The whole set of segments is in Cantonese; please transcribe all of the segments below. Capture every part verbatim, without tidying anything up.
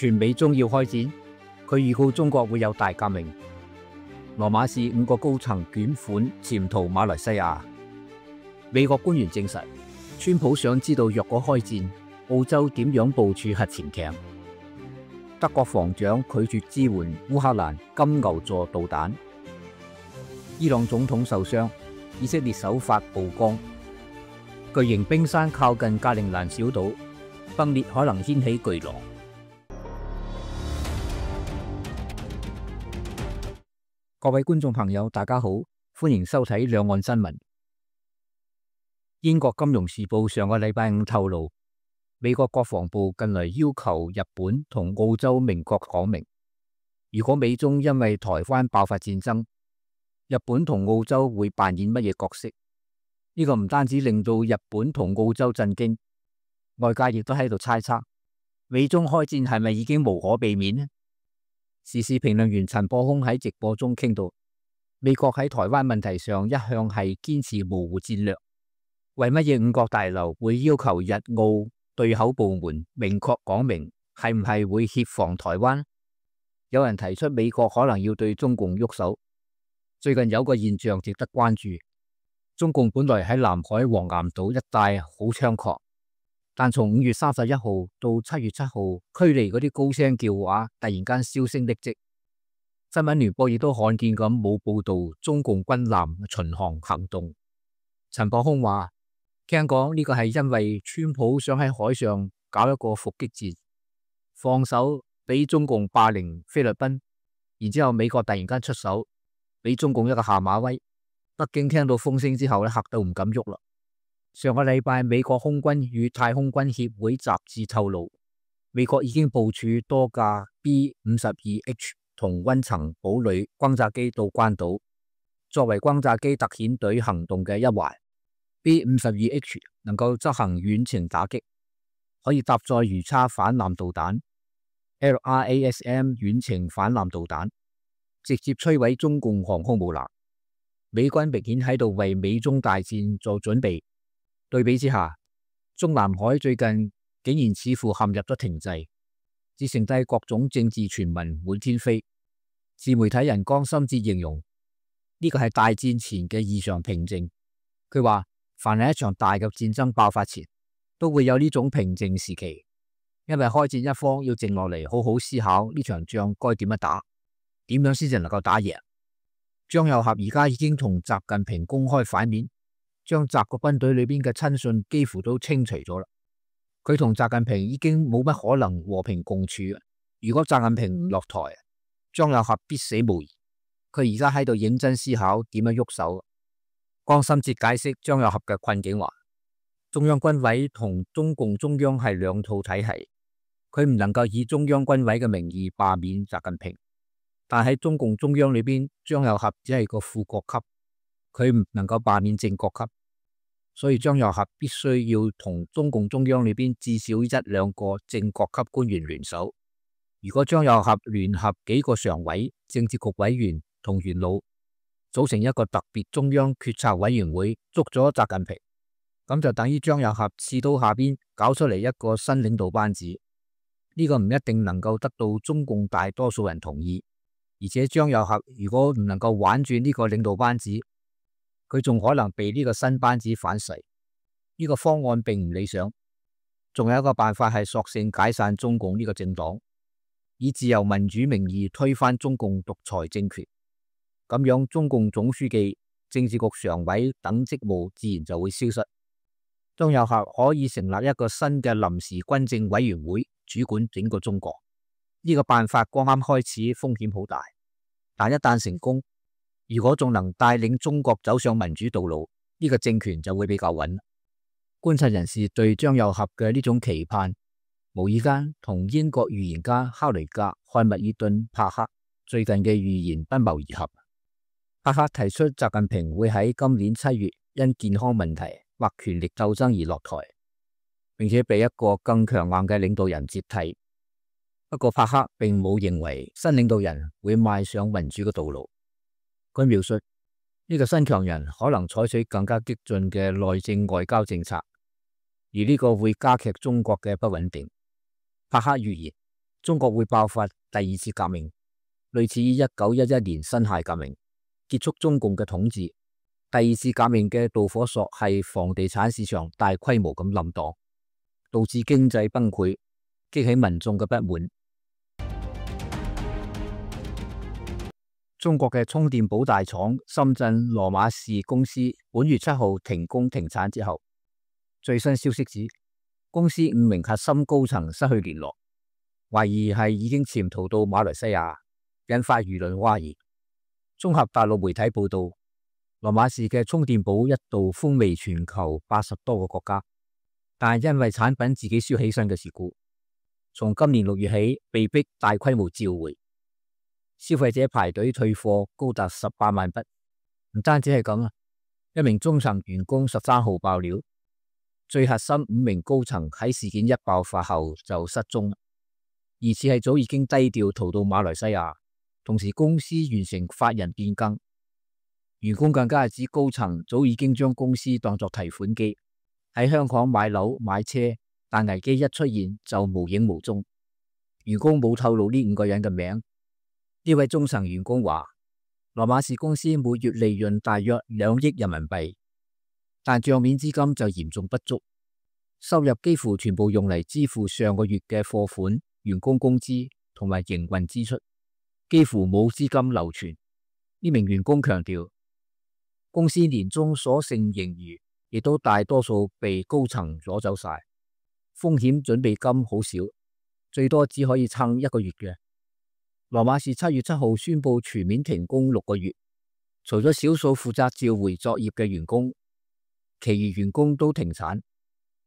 全美中要開戰，佢預告中國會有大革命。羅馬市五個高層捲款潛逃馬來西亞。美國官員證實，川普想知道若果開戰，澳洲點樣部署核潛艇。德國防長拒絕支援烏克蘭金牛座導彈。伊朗總統受傷，以色列首發曝光。巨型冰山靠近格陵蘭小島，崩裂可能掀起巨浪。各位觀眾朋友，大家好，歡迎收睇兩岸新聞。英國金融時報上個禮拜五透露，美國國防部近來要求日本同澳洲明確講明，如果美中因為台灣爆發戰爭，日本同澳洲會扮演乜嘢角色？呢個唔單止令到日本同澳洲震驚，外界亦都喺度猜測，美中開戰係咪已經無可避免呢？時事評論員陳博空喺直播中傾到，美國喺台灣問題上一向係堅持模糊戰略，為乜嘢五角大樓會要求日澳對口部門明確講明係唔係會協防台灣？有人提出美國可能要對中共喐手。最近有個現象值得關注，中共本來喺南海黃岩島一帶好猖狂，但從五月三十一號到七月七號，驅離嗰啲高聲叫話突然間銷聲匿跡。新聞聯播亦都罕見咁冇報道中共軍艦巡航行動。陳博空話，聽講呢個係因為川普想喺海上搞一個伏擊戰，放手俾中共霸凌菲律賓，然之後美國突然間出手，俾中共一個下馬威。北京聽到風聲之後咧，嚇到唔敢喐啦。上個禮拜，美國空軍與太空軍協會雜誌透露，美國已經部署多架 B 五十二 H 同溫層堡壘轟炸機到關島，作為轟炸機特遣隊行動嘅一環。B 五十二 H 能夠執行遠程打擊，可以搭載魚叉反艦導彈、L R A S M 遠程反艦導彈，直接摧毀中共航空母艦。美軍明顯喺度為美中大戰做準備。對比之下，中南海最近竟然似乎陷入咗停滯，只剩低各種政治傳聞滿天飛。自媒體人江心哲形容呢個係大戰前嘅異常平靜。佢話，凡係一場大嘅戰爭爆發前，都會有呢種平靜時期，因為開戰一方要靜落嚟，好好思考呢場仗該點樣打，點樣先至能夠打贏。張又俠而家已經同習近平公開反面，將習個軍隊裏邊嘅親信幾乎都清除咗啦。佢同習近平已經冇乜可能和平共處。如果習近平唔落台，張又俠必死無疑。佢而家喺度認真思考點樣喐手。江心哲解釋張又俠嘅困境話，中央軍委同中共中央係兩套體系，佢唔能夠以中央軍委嘅名義罷免習近平。但喺中共中央裏邊，張又俠只係個副國級，佢唔能夠罷免正國級，所以張又俠必須要同中共中央裏邊至少一兩個正國級官員聯手。如果張又俠聯合幾個常委、政治局委員同元老，組成一個特別中央決策委員會，捉咗習近平，咁就等於張又俠刺刀下邊搞出嚟一個新領導班子。呢個唔一定能夠得到中共大多數人同意。而且張又俠如果唔能夠玩住呢個領導班子，佢仲可能被呢個新班子反噬。呢個方案並唔理想。仲有一個辦法係索性解散中共呢個政黨，以自由民主名義推翻中共獨裁政權。咁樣中共總書記、政治局常委等職務自然就會消失。張又俠可以成立一個新嘅臨時軍政委員會，主管整個中國。呢個辦法剛啱開始，風險好大，但一旦成功，如果仲能帶領中國走上民主道路，呢個政權就會比較穩。觀察人士對張又俠嘅呢種期盼，無意間同英國預言家克雷格漢密爾頓帕克最近嘅預言不謀而合。帕克提出習近平會喺今年七月因健康問題或權力鬥爭而落台，並且被一個更強硬嘅領導人接替。不過帕克並冇認為新領導人會邁上民主嘅道路。佢描述呢個新強人可能採取更加激進嘅內政外交政策，而呢個會加劇中國嘅不穩定。帕克預言中國會爆發第二次革命，類似於一九一一年辛亥革命，結束中共嘅統治。第二次革命嘅導火索係房地產市場大規模咁冧檔，導致經濟崩潰，激起民眾嘅不滿。中國嘅充電寶大廠深圳羅馬士公司本月七號停工停產之後，最新消息指公司五名核心高層失去聯絡，懷疑係已經潛逃到馬來西亞，引發輿論譁議。綜合大陸媒體報道，羅馬士嘅充電寶一度風靡全球八十多個國家，但係因為產品自己燒起身嘅事故，從今年六月起被迫大規模召回。消費者排隊退貨高達十八萬筆，唔單止係咁啊！一名中層員工十三號爆料，最核心五名高層喺事件一爆發後就失蹤，疑似係早已經低調逃到馬來西亞，同時公司完成法人變更。員工更加係指高層早已經將公司當作提款機，喺香港買樓買車，但危機一出現就無影無蹤。員工冇透露呢五個人嘅名。呢位中層員工話，羅馬士公司每月利潤大約兩億人民幣，但賬面資金就嚴重不足，收入幾乎全部用嚟支付上個月嘅貨款、員工工資同埋營運支出，幾乎冇資金流傳。呢名員工強調，公司年終所剩盈餘亦都大多數被高層攞走晒，風險準備金好少，最多只可以撐一個月嘅。羅馬士七月七號宣布全面停工六個月，除咗少數負責召回作業嘅員工，其餘員工都停產，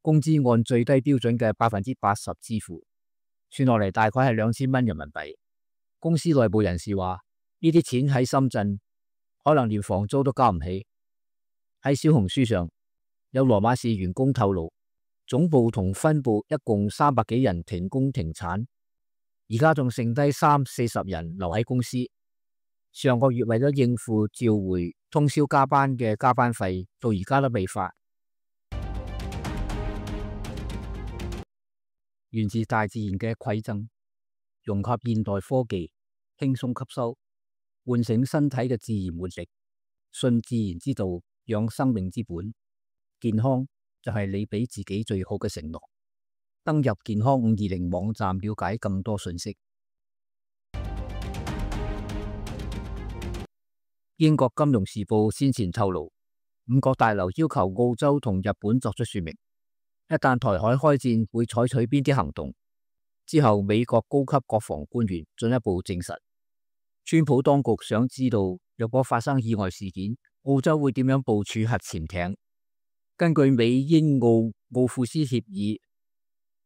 工資按最低標準嘅百分之八十支付，算落嚟大概係兩千蚊人民幣。公司內部人士話，呢啲錢喺深圳可能連房租都交唔起。喺小紅書上有羅馬士員工透露，總部同分部一共三百幾人停工停產。而家仲剩低三四十人留喺公司。上個月為咗應付召回通宵加班嘅加班費，到而家都未發。源自大自然嘅饋贈，融合現代科技，輕鬆吸收，喚醒身體嘅自然活力，順自然之道，養生命之本。健康就係你俾自己最好嘅承諾。登入健康五二零網站了解更多信息。英國金融時報先前透露，五角大樓要求澳洲同日本作出說明，一旦台海開戰會採取邊啲行動。之後美國高級國防官員進一步證實，川普當局想知道若果發生意外事件，澳洲會點樣部署核潛艇。根據美英澳奧庫斯協議，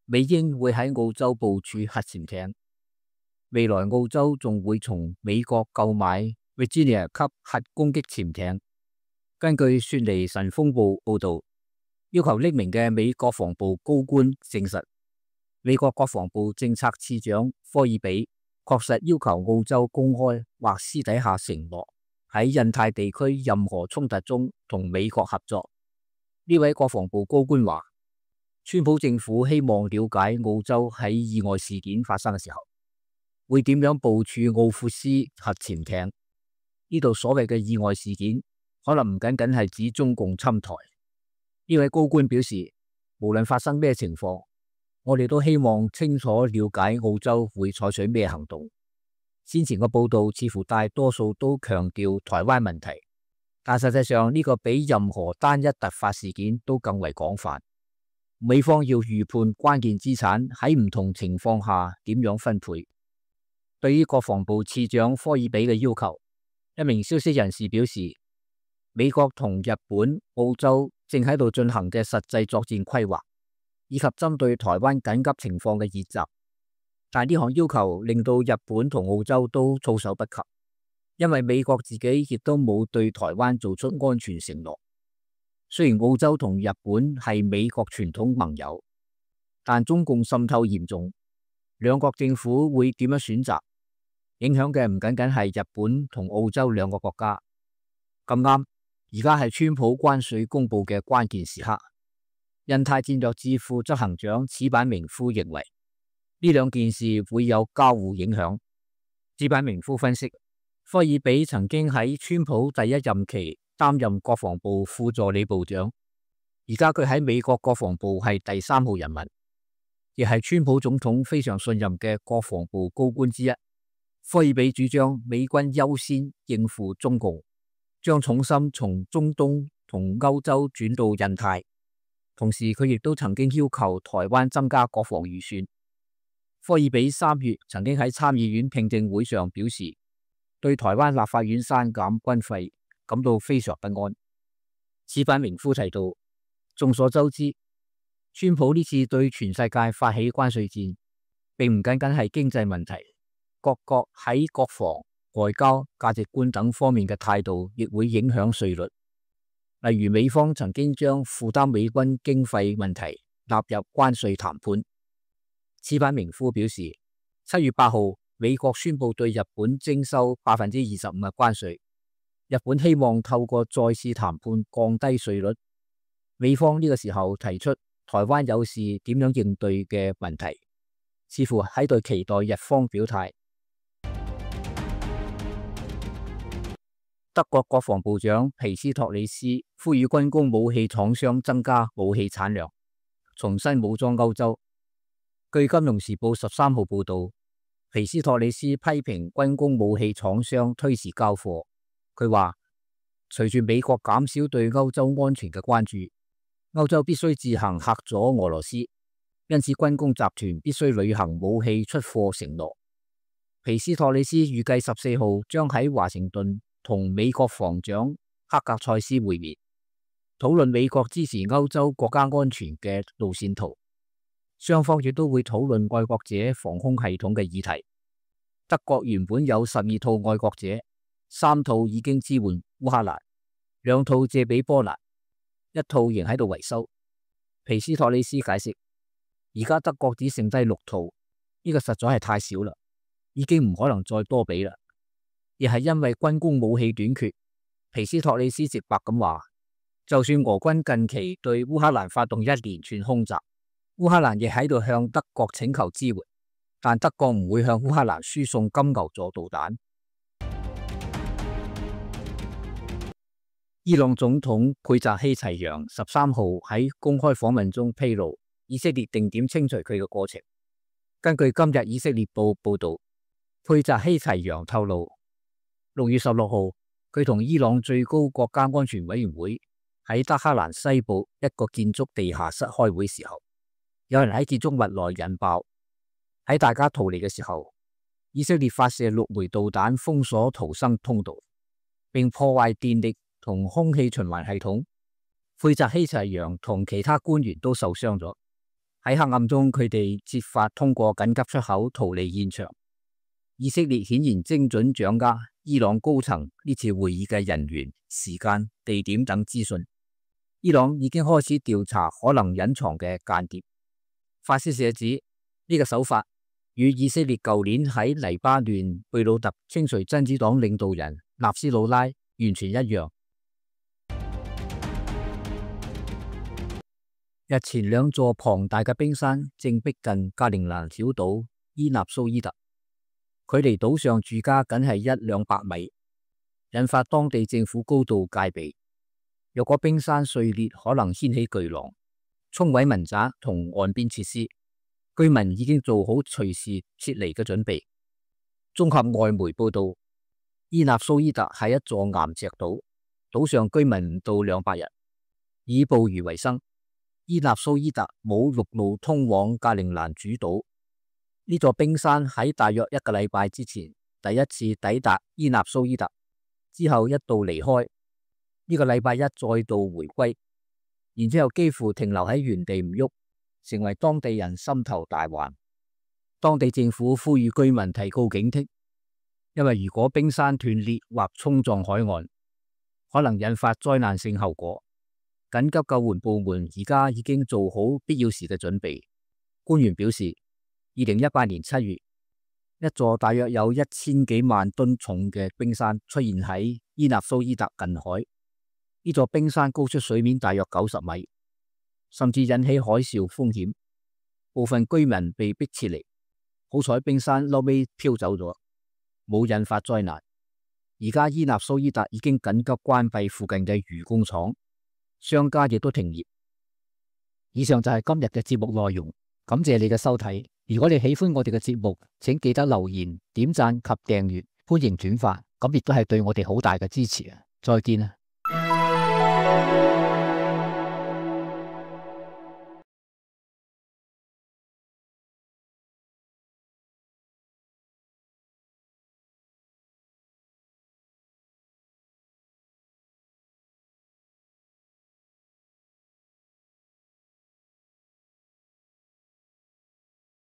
美英會喺澳洲部署核潛艇，未來澳洲仲會從美國購買 Virginia 級核攻擊潛艇。根據雪梨晨鋒報報道，要求匿名嘅美國防部高官證實，美國國防部政策次長科爾比確實要求澳洲公開或私底下承諾喺印太地區任何衝突中同美國合作。呢位國防部高官話，川普政府希望了解澳洲喺意外事件發生嘅時候，會點樣部署奧庫斯核潛艇。呢度所謂嘅意外事件，可能唔僅僅係指中共侵台。呢位高官表示，無論發生咩情況，我哋都希望清楚了解澳洲會採取咩行動。先前嘅報道似乎大多數都強調台灣問題，但實際上呢個比任何單一突發事件都更為廣泛。美方要預判關鍵資產喺唔同情況下點樣分配。對於國防部次長科爾比嘅要求，一名消息人士表示，美國同日本、澳洲正喺度進行嘅實際作戰規劃，以及針對台灣緊急情況嘅演習。但呢項要求令到日本同澳洲都措手不及，因為美國自己亦都冇對台灣做出安全承諾。雖然澳洲同日本係美國傳統盟友，但中共滲透嚴重，兩國政府會點樣選擇，影響嘅唔僅僅係日本同澳洲兩個國家。咁啱，而家係川普關稅公布嘅關鍵時刻。印太戰略智庫執行長矢板明夫認為，呢兩件事會有交互影響。矢板明夫分析，科爾比曾經喺川普第一任期擔任國防部副助理部長，而家佢喺美國國防部係第三號人物，亦係川普總統非常信任嘅國防部高官之一。科爾比主張美軍優先應付中共，將重心從中東同歐洲轉到印太，同時佢亦都曾經要求台灣增加國防預算。科爾比三月曾經喺參議院聽證會上表示，對台灣立法院刪減軍費感到非常不安。矢板明夫提到，眾所周知，川普呢次對全世界發起關稅戰，並唔僅僅係經濟問題，各國喺國防、外交、價值觀等方面嘅態度亦會影響稅率。例如，美方曾經將負擔美軍經費問題納入關稅談判。矢板明夫表示，七月八號美國宣布對日本徵收百分之二十五嘅關稅，日本希望透過再次談判降低稅率。美方呢個時候提出台灣有事點樣應對嘅問題，似乎喺度期待日方表態。德國國防部長皮斯托里斯呼籲軍工武器廠商增加武器產量，重新武裝歐洲。據《金融時報》十三號報道，皮斯托里斯批評軍工武器廠商推遲交貨。佢話，隨住美國減少對歐洲安全嘅關注，歐洲必須自行嚇阻俄羅斯，因此軍工集團必須履行武器出貨承諾。皮斯托里斯預計十四號將喺華盛頓同美國防長克格塞斯會面，討論美國支持歐洲國家安全嘅路線圖。雙方亦都會討論愛國者防空系統嘅議題。德國原本有十二套愛國者，三套已經支援烏克蘭，兩套借俾波蘭，一套仍喺度維修。皮斯托里斯解釋，而家德國只剩低六套，呢個實在係太少啦，已經唔可能再多俾啦。亦係因為軍工武器短缺，皮斯托里斯直白咁話，就算俄軍近期對烏克蘭發動一連串空襲，烏克蘭亦喺度向德國請求支援，但德國唔會向烏克蘭輸送金牛座導彈。伊朗總統佩澤希齊揚十三號喺公開訪問中披露，以色列定點清除佢嘅過程。根據今日以色列報報道，佩澤希齊揚透露，六月十六號佢同伊朗最高國家安全委員會喺德黑蘭西部一個建築地下室開會時候，有人喺建築物內引爆。喺大家逃離嘅時候，以色列發射六枚導彈封鎖逃生通道，並破壞電力同空氣循環系統。佩澤希齊揚同其他官員都受傷咗。喺黑暗中，佢哋設法通過緊急出口逃離現場。以色列顯然精準掌握伊朗高層呢次會議嘅人員、時間、地點等資訊。伊朗已經開始調查可能隱藏嘅間諜。法新社指呢個手法與以色列舊年喺黎巴嫩貝魯特清除真主黨領導人納斯魯拉完全一樣。日前兩座龐大嘅冰山正逼近格陵蘭小島伊納蘇伊特，距離島上住家僅係一兩百米，引發當地政府高度戒備。若果冰山碎裂，可能掀起巨浪，沖毀民宅同岸邊設施，居民已經做好隨時撤離嘅準備。綜合外媒報道，伊納蘇伊特係一座岩石島，島上居民唔到兩百人，以捕魚為生。伊納蘇伊特冇陸路通往格陵蘭主島。呢座冰山喺大約一個禮拜之前第一次抵達伊納蘇伊特，之後一度離開。呢個禮拜一再度回歸，然之後幾乎停留喺原地唔喐，成為當地人心頭大患。當地政府呼籲居民提高警惕，因為如果冰山斷裂或衝撞海岸，可能引發災難性後果。緊急救援部門而家已經做好必要時嘅準備。官員表示，二零一八年七月，一座大約有一千幾萬噸重嘅冰山出現喺伊納蘇伊特近海。呢座冰山高出水面大約九十米，甚至引起海嘯風險，部分居民被迫撤離。好彩冰山後尾飄走咗，冇引發災難。而家伊納蘇伊達已經緊急關閉附近嘅漁工廠，商家亦都停業。以上就係今日嘅節目內容，感謝你嘅收睇。如果你喜歡我哋嘅節目，請記得留言、點讚及訂閱，歡迎轉發，咁亦都係對我哋好大嘅支持啊！再見啊！